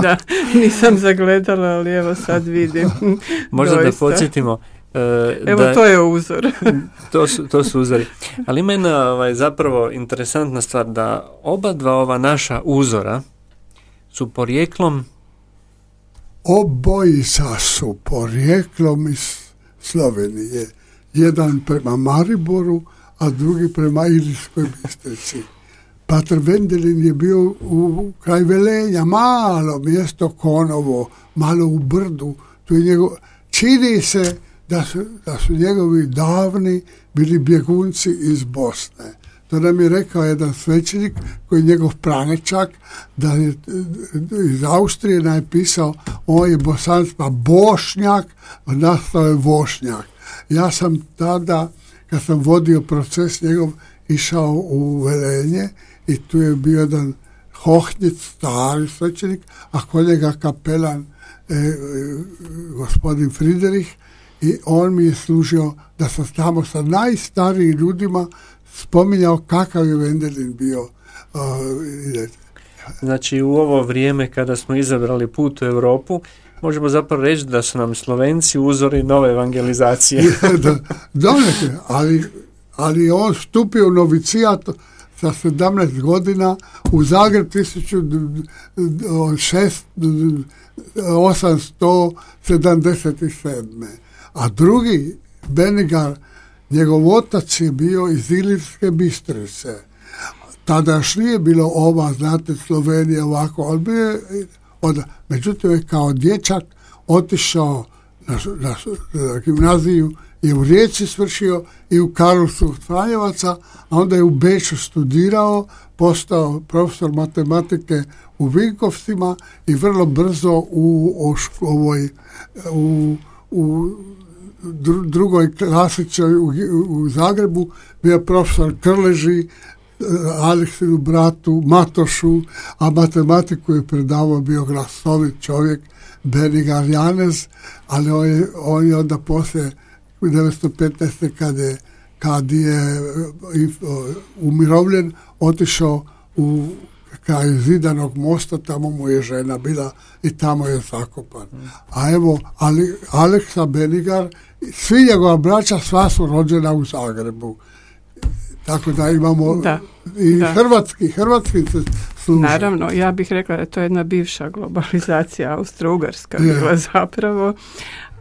[SPEAKER 1] Da, nisam zagledala, ali evo sad vidim.
[SPEAKER 3] Možda
[SPEAKER 1] doista.
[SPEAKER 3] Da podsjetimo. Uh,
[SPEAKER 1] evo,
[SPEAKER 3] da,
[SPEAKER 1] to je uzor.
[SPEAKER 3] to, su, to su uzori. Ali ima jedna ovaj, zapravo interesantna stvar, da oba dva ova naša uzora su porijeklom
[SPEAKER 2] obojica su porijeklom iz Slovenije. Jedan prema Mariboru, a drugi prema Ilirskoj Bistrici. Pater Vendelin je bio u kraj Velenja, malo mjesto Konovo, malo u brdu. Tu je njegov, čini se da su, da su njegovi davni bili bjegunci iz Bosne. To nam je rekao jedan svećenik koji je njegov pranečak, da je iz Austrije napisao, on je Bosanac, pa Bošnjak, nastao je Vošnjak. Ja sam tada, kad sam vodio proces njegov, išao u Velenje i tu je bio jedan Hohnjic, stari svećenik, a kod njega kapelan e, e, gospodin Friderich, i on mi je služio da sam tamo sa najstarijim ljudima spominjao kakav je Wendelin bio. Uh,
[SPEAKER 3] znači u ovo vrijeme kada smo izabrali put u Europu, možemo zapravo reći da su nam Slovenci uzori nove evangelizacije.
[SPEAKER 2] da, donekle, ali, ali on stupio u novicijat sa sedamnaest godina u Zagreb tisuću osamsto sedamdeset sedam. A drugi, Benigar, njegov otac je bio iz Ilirske Bistrice. Tada još nije bilo ova, znate, Slovenija ovako, ali bio je, onda, međutim je kao dječak otišao na, na, na gimnaziju i u Rijeci svršio i u Karlovcu Franjevaca, a onda je u Beču studirao, postao profesor matematike u Vinkovcima i vrlo brzo u, u, ovoj, u, u drugoj klasičnoj u, u Zagrebu bio profesor Krleži, Aleksinu bratu, Matošu, a matematiku je predavao, bio glasovit čovjek, Benigar Janez, ali on je, on je onda poslije devetsto petnaeste kad je, kad je umirovljen, otišao u kraj Zidanog mosta, tamo mu je žena bila i tamo je zakopan. A evo, ali Aleksa Benigar, svi njegova braća, sva su rođena u Zagrebu. Tako da imamo
[SPEAKER 1] da,
[SPEAKER 2] i
[SPEAKER 1] da.
[SPEAKER 2] hrvatski, hrvatski se služi.
[SPEAKER 1] Naravno, ja bih rekla da je to jedna bivša globalizacija, Austro-Ugarska bila je. zapravo.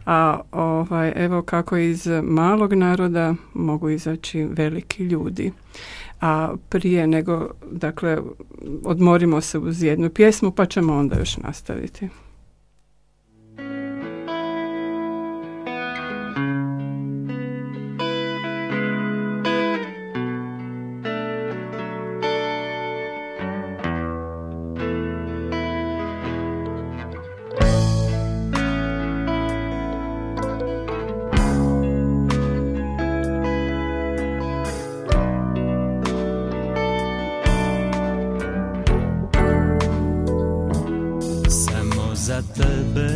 [SPEAKER 1] A ovaj, evo kako iz malog naroda mogu izaći veliki ljudi. A prije nego, dakle, odmorimo se uz jednu pjesmu pa ćemo onda još nastaviti.
[SPEAKER 7] Za tebe,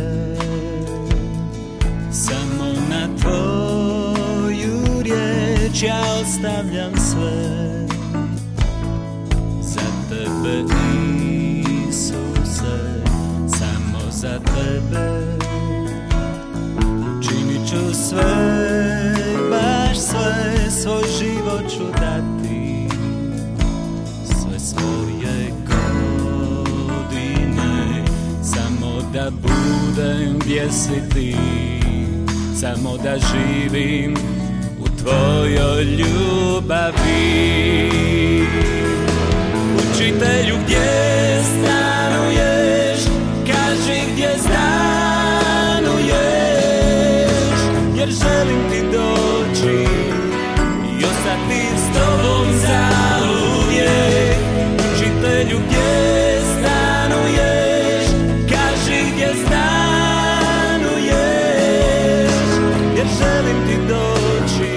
[SPEAKER 7] samo na tvoju riječ ja ostavljam sve. Za tebe, Isuse, samo za tebe činit ću sve, baš sve, svoj život ću dati, sve svoje godine, samo da budem gdje si ti, samo da živim u tvojoj ljubavi. Učitelju, gdje stanuješ, kaži gdje stanuješ, jer želim ti doći i ostati s tobom zauvijek. Učitelju, gdje stanuješ, kaži gdje stanuješ, jer želim ti doći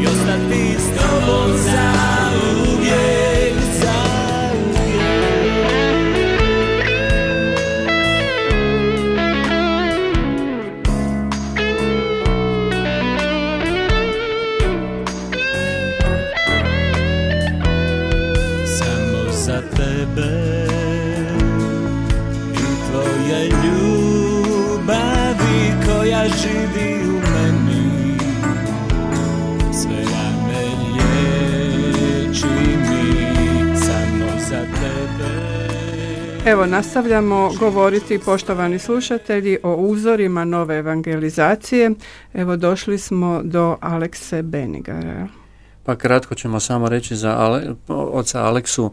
[SPEAKER 7] i ostati s tobom zauvijek, zauvijek. Samo za tebe i tvoje ljubavi koja živi u meni, sve rane liječi mi, samo za tebe.
[SPEAKER 1] Evo, nastavljamo govoriti, poštovani slušatelji, o uzorima nove evangelizacije. Evo, došli smo do Alekse Benigara.
[SPEAKER 3] Pa kratko ćemo samo reći za Ale, oca Aleksu,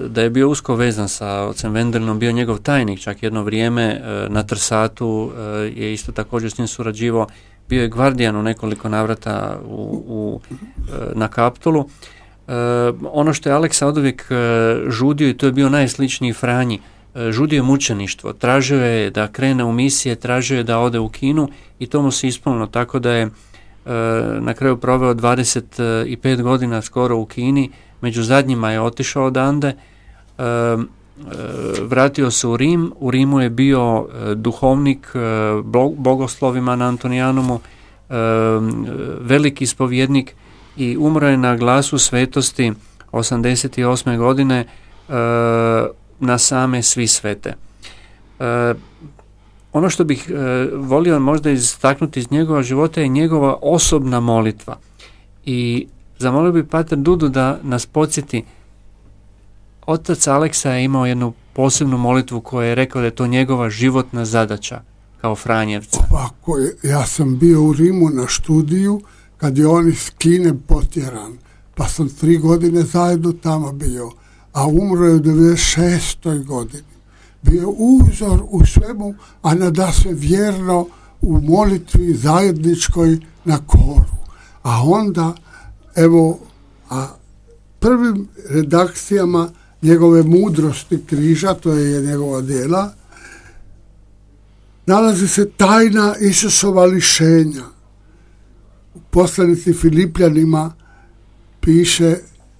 [SPEAKER 3] da je bio usko vezan sa ocem Wendelinom, bio njegov tajnik čak jedno vrijeme, na Trsatu je isto također s njim surađivao, bio je gvardijan u nekoliko navrata u, u, na Kaptolu. Ono što je Aleksa oduvijek žudio, i to je bio najsličniji Franji, žudio je mučeništvo, tražio je da krene u misije, tražio je da ode u Kinu i to mu se ispunilo, tako da je na kraju proveo dvadeset pet godina skoro u Kini, među zadnjima je otišao odande. vratio se u Rim. U Rimu je bio e, duhovnik e, bogoslovima na Antonijanumu, e, veliki ispovjednik i umro je na glasu svetosti osamdeset osme godine e, na same svi svete. E, ono što bih e, volio možda istaknuti iz njegova života je njegova osobna molitva. I zamolio bih pater Dudu da nas podsjeti. Otac Aleksa je imao jednu posebnu molitvu koja je rekao da je to njegova životna zadaća kao Franjevca.
[SPEAKER 2] Ovako, ja sam bio u Rimu na studiju kad je on iz Kine potjeran, pa sam tri godine zajedno tamo bio, a umro je u devedeset šestoj godini. Bio uzor u svemu, a nadasve vjerno u molitvi zajedničkoj na koru. A onda, evo, a prvim redakcijama njegove mudrosti križa, to je njegova djela, nalazi se tajna Isusova lišenja. U poslanici Filipljanima piše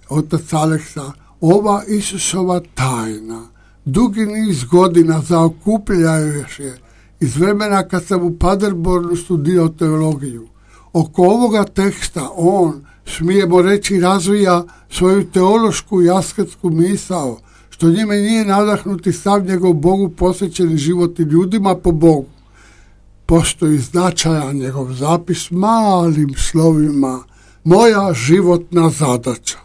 [SPEAKER 2] otac Aleksa, ova Isusova tajna dugi niz godina zaokupljavajući je iz vremena kad sam u Paderbornu studirao teologiju. Oko ovoga teksta on, smijemo reći, razvija svoju teološku i asketsku misao, što njime nije nadahnuti sav njegov Bogu posvećeni život i ljudima po Bogu. Postoji značajan njegov zapis malim slovima, moja životna zadaća.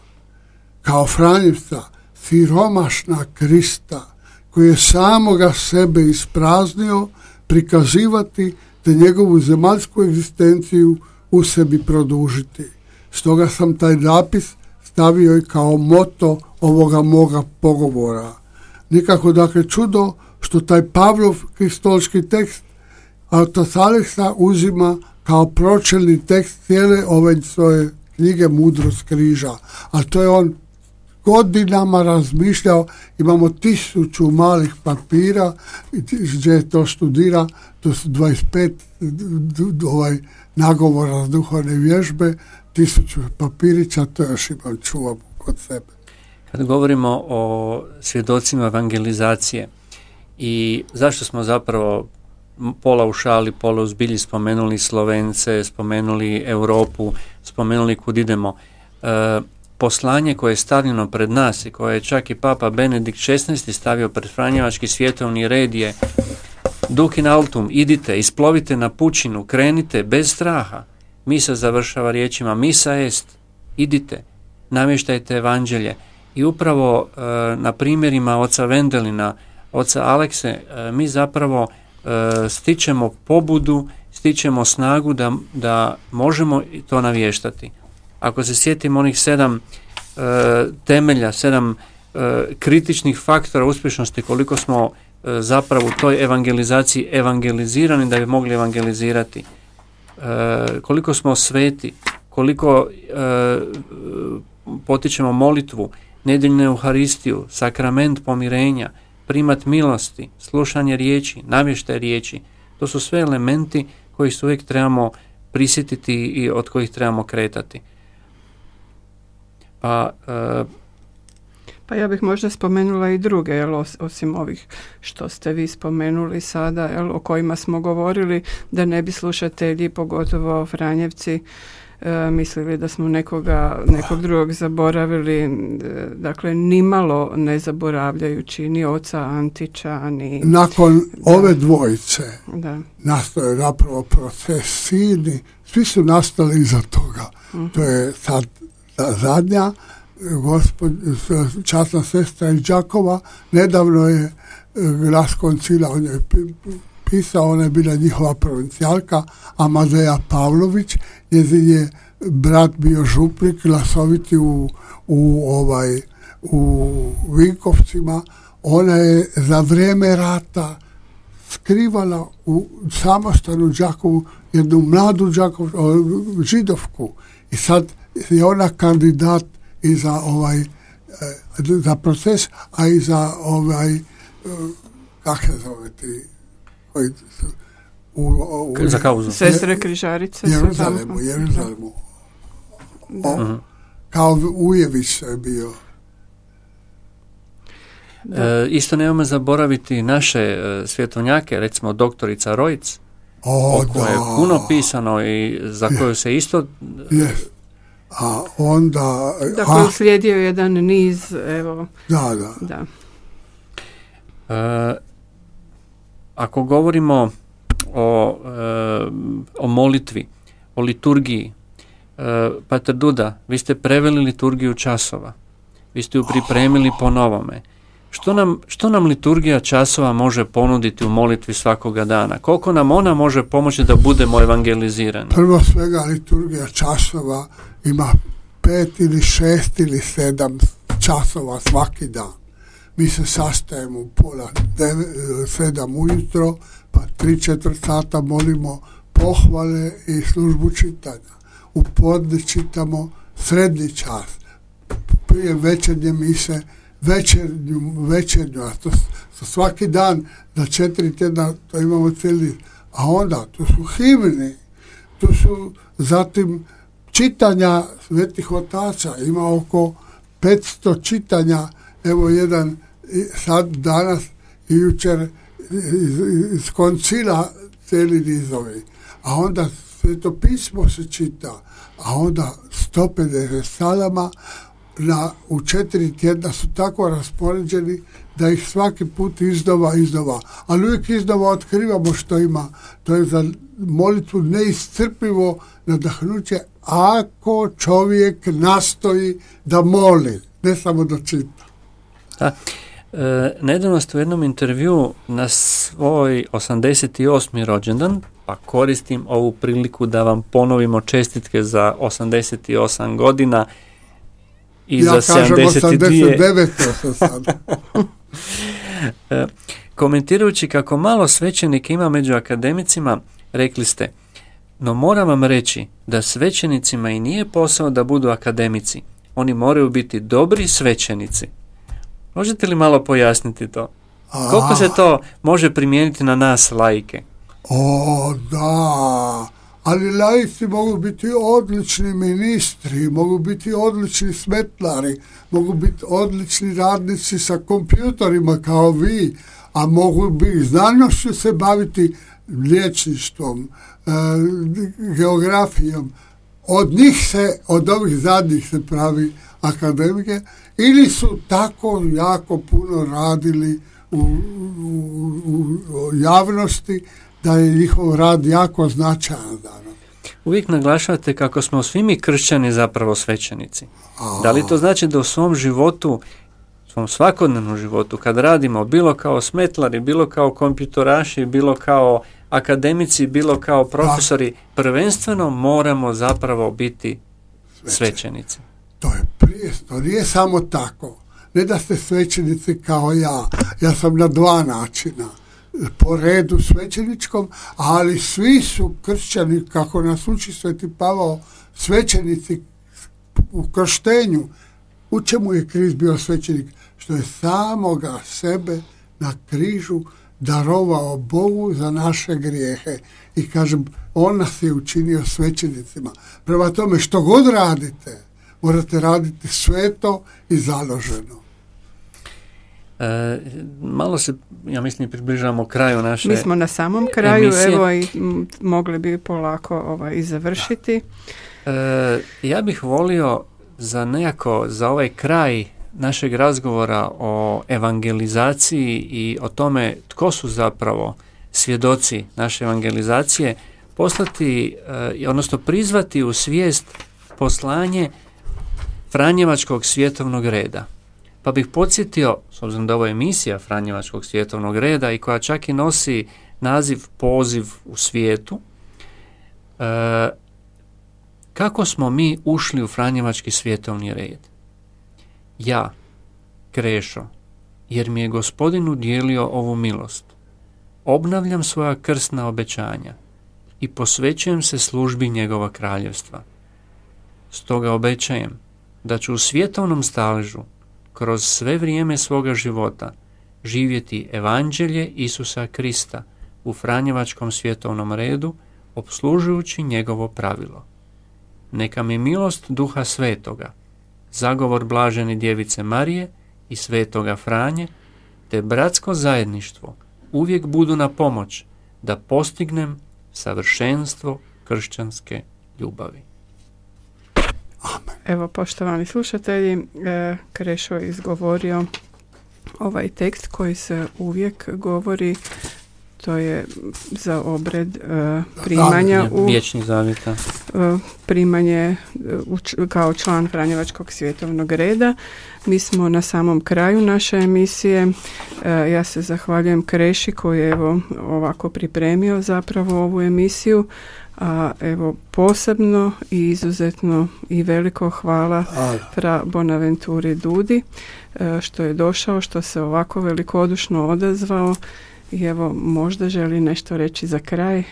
[SPEAKER 2] Kao Franjevca, siromašna Krista, koji je samoga sebe ispraznio, prikazivati te njegovu zemaljsku egzistenciju u sebi produžiti. Stoga sam taj zapis stavio i kao moto ovoga moga pogovora. Nikako dakle čudo što taj Pavlov kristološki tekst otac Aleksa uzima kao pročelni tekst cijele ove svoje knjige Mudrost križa. A to je on godinama razmišljao, imamo tisuću malih papira gdje je to studira, to su dvadeset pet ovaj, nagovora z duhovne vježbe, tisuću papirića, to još imam, čuvam kod sebe.
[SPEAKER 3] Kad govorimo o svjedocima evangelizacije i zašto smo zapravo pola u šali, pola u zbilji spomenuli Slovence, spomenuli Europu, spomenuli kud idemo, e, poslanje koje je stavljeno pred nas i koje je čak i Papa Benedikt šesnaesti stavio pred Franjevački svjetovni red je Duc in altum, idite, isplovite na pučinu, krenite bez straha. Misa završava riječima misa est, idite, namještajte evanđelje. I upravo e, na primjerima oca Vendelina, oca Alekse, e, mi zapravo e, stičemo pobudu, stičemo snagu da, da možemo to navještati. Ako se sjetimo onih sedam e, temelja, sedam e, kritičnih faktora uspješnosti, koliko smo e, zapravo u toj evangelizaciji evangelizirani da bi mogli evangelizirati, e, koliko smo sveti, koliko e, potičemo molitvu, nedjeljnu euharistiju, sakrament pomirenja, primat milosti, slušanje riječi, navještaj riječi, to su sve elementi koji se uvijek trebamo prisjetiti i od kojih trebamo kretati. Pa, e,
[SPEAKER 1] pa ja bih možda spomenula i druge, jel, osim ovih što ste vi spomenuli sada, jel, o kojima smo govorili, da ne bi slušatelji, pogotovo Franjevci, e, mislili da smo nekoga, nekog drugog zaboravili, e, dakle nimalo ne zaboravljajući ni oca Antića, ni...
[SPEAKER 2] Nakon da, ove dvojice
[SPEAKER 1] da. Nastao
[SPEAKER 2] je napravo proces Sini, svi su nastali iza toga. Uh-huh. To je sad zadnja gospod, časna sestra iz Đakova, nedavno je Glas koncila o njoj pisao, ona je bila njihova provincijalka, Amadeja Pavlović, njezin je brat bio župnik, glasoviti u, u, ovaj, u Vinkovcima. Ona je za vrijeme rata skrivala u samostanu Đakovu jednu mladu Đakov, židovku i sad je ona kandidat i za ovaj za proces, a i za ovaj kako se zove ti koji su u, u,
[SPEAKER 3] za kauzu.
[SPEAKER 1] Sestre križarice
[SPEAKER 2] Jeruzalemu, Jeruzalemu. O, uh-huh. Kao Ujević je bio.
[SPEAKER 3] E, isto nemojmo zaboraviti naše e, svjetovnjake, recimo doktorica Rojc,
[SPEAKER 2] O,
[SPEAKER 3] o kojoj je puno pisano i za koju se isto...
[SPEAKER 2] Yes. A onda...
[SPEAKER 1] Da, koji slijedio jedan niz, evo...
[SPEAKER 2] Da, da.
[SPEAKER 1] da.
[SPEAKER 3] E, ako govorimo o, e, o molitvi, o liturgiji, e, Pater Duda, vi ste preveli liturgiju časova, vi ste ju pripremili po novome. Što nam, što nam liturgija časova može ponuditi u molitvi svakoga dana? Koliko nam ona može pomoći da budemo evangelizirani?
[SPEAKER 2] Prvo svega liturgija časova ima pet ili šest ili sedam časova svaki dan. Mi se sastajemo u pola devet, sedam ujutro, pa tri četvrt sata molimo pohvale i službu čitanja. U podne čitamo srednji čas. Prije večernje mise večernju, večernju, a to, to svaki dan za četiri tjedna to imamo cijeli, a onda tu su himni, tu su zatim čitanja svetih otaca, ima oko petsto čitanja, evo jedan sad danas i jučer iz, iz koncila cijeli nizovi, a onda sveto pismo se čita, a onda sto pedeset salama na, u četiri tjedna su tako raspoređeni da ih svaki put iznova, iznova. Ali uvijek iznova otkrivamo što ima. To je za molitvu neiscrpivo nadahnuće ako čovjek nastoji da moli, ne samo da čita.
[SPEAKER 3] Da. E, nedavno ste u jednom intervju na svoj osamdeset osmi rođendan, pa koristim ovu priliku da vam ponovimo čestitke za osamdeset osam godina i
[SPEAKER 2] ja
[SPEAKER 3] za sedamdeset dvije.
[SPEAKER 2] osamdeset devet sam sad.
[SPEAKER 3] e, komentirajući kako malo svećenika ima među akademicima, rekli ste: no moram vam reći da svećenicima i nije posao da budu akademici. Oni moraju biti dobri svećenici. Možete li malo pojasniti to?
[SPEAKER 2] A,
[SPEAKER 3] Koliko se to može primijeniti na nas laike?
[SPEAKER 2] O, da, ali laici mogu biti odlični ministri, mogu biti odlični smetlari, mogu biti odlični radnici sa kompjutorima kao vi, a mogu biti znanošću se baviti liječništvom, e, geografijom. Od njih se, od ovih zadnjih se pravi akademike, ili su tako jako puno radili u, u, u javnosti da je njihov rad jako značajan danas.
[SPEAKER 3] Uvijek naglašavate kako smo svi mi kršćani zapravo svećenici.
[SPEAKER 2] A...
[SPEAKER 3] Da li to znači da u svom životu, svom svakodnevnom životu, kad radimo bilo kao smetlari, bilo kao kompjutoraši, bilo kao akademici, bilo kao profesori, da. Prvenstveno moramo zapravo biti svećenici.
[SPEAKER 2] To je prije, to nije samo tako. Ne da ste svećenici kao ja. Ja sam na dva načina. Po redu svećeničkom, ali svi su kršćani, kako nas uči Sveti Pavao, svećenici u krštenju. U čemu je Krist bio svećenik? Što je samoga sebe na križu darovao Bogu za naše grijehe. I kažem, on nas je učinio svećenicima. Prema tome, što god radite, morate raditi sveto i založeno.
[SPEAKER 3] E, malo se, ja mislim, približavamo kraju naše
[SPEAKER 1] Mi smo na samom kraju,
[SPEAKER 3] emisije.
[SPEAKER 1] Evo i m, mogli bi polako ovaj, i završiti.
[SPEAKER 3] E, ja bih volio za nekako, za ovaj kraj našeg razgovora o evangelizaciji i o tome tko su zapravo svjedoci naše evangelizacije, poslati, e, odnosno prizvati u svijest poslanje Franjevačkog svjetovnog reda. Pa bih podsjetio, s obzirom da ovo je emisija Franjevačkog svjetovnog reda i koja čak i nosi naziv Poziv u svijetu, e, kako smo mi ušli u Franjevački svjetovni red? Ja, Krešo, jer mi je Gospodin udijelio ovu milost, obnavljam svoja krsna obećanja i posvećujem se službi njegova kraljevstva. Stoga obećajem da ću u svjetovnom staležu kroz sve vrijeme svoga života živjeti evanđelje Isusa Krista u Franjevačkom svjetovnom redu, opslužujući njegovo pravilo. Neka mi milost Duha Svetoga, zagovor blažene Djevice Marije i Svetoga Franje te bratsko zajedništvo uvijek budu na pomoć da postignem savršenstvo kršćanske ljubavi.
[SPEAKER 2] Amen.
[SPEAKER 1] Evo, poštovani slušatelji, e, Krešo je izgovorio ovaj tekst koji se uvijek govori, to je za obred e, primanja u
[SPEAKER 3] Vječnih zavjeta.
[SPEAKER 1] e, primanje u, kao član Franjevačkog svjetovnog reda. Mi smo na samom kraju naše emisije. E, ja se zahvaljujem Kreši koji je evo ovako pripremio zapravo ovu emisiju. A evo posebno i izuzetno i veliko hvala fra Bonaventuri Dudi e, što je došao, što se ovako velikodušno odazvao i evo možda želi nešto reći za kraj.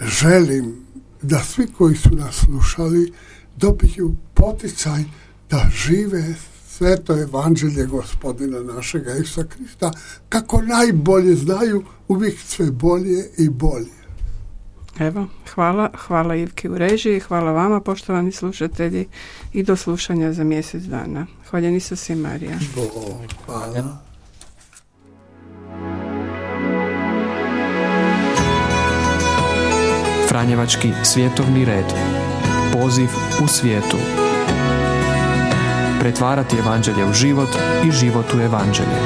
[SPEAKER 2] Želim da svi koji su nas slušali dobiju poticaj da žive sveto evanđelje Gospodina našega Isusa Krista kako najbolje znaju, uvijek sve bolje i bolje.
[SPEAKER 1] Evo, hvala, hvala Ivki u režiji, hvala vama poštovani slušatelji i do slušanja za mjesec dana. Hvaljen Isus i Marija.
[SPEAKER 2] Bog, hvala.
[SPEAKER 5] Franjevački svjetovni red. Poziv u svijetu. Pretvarati evanđelje u život i život u evanđelje.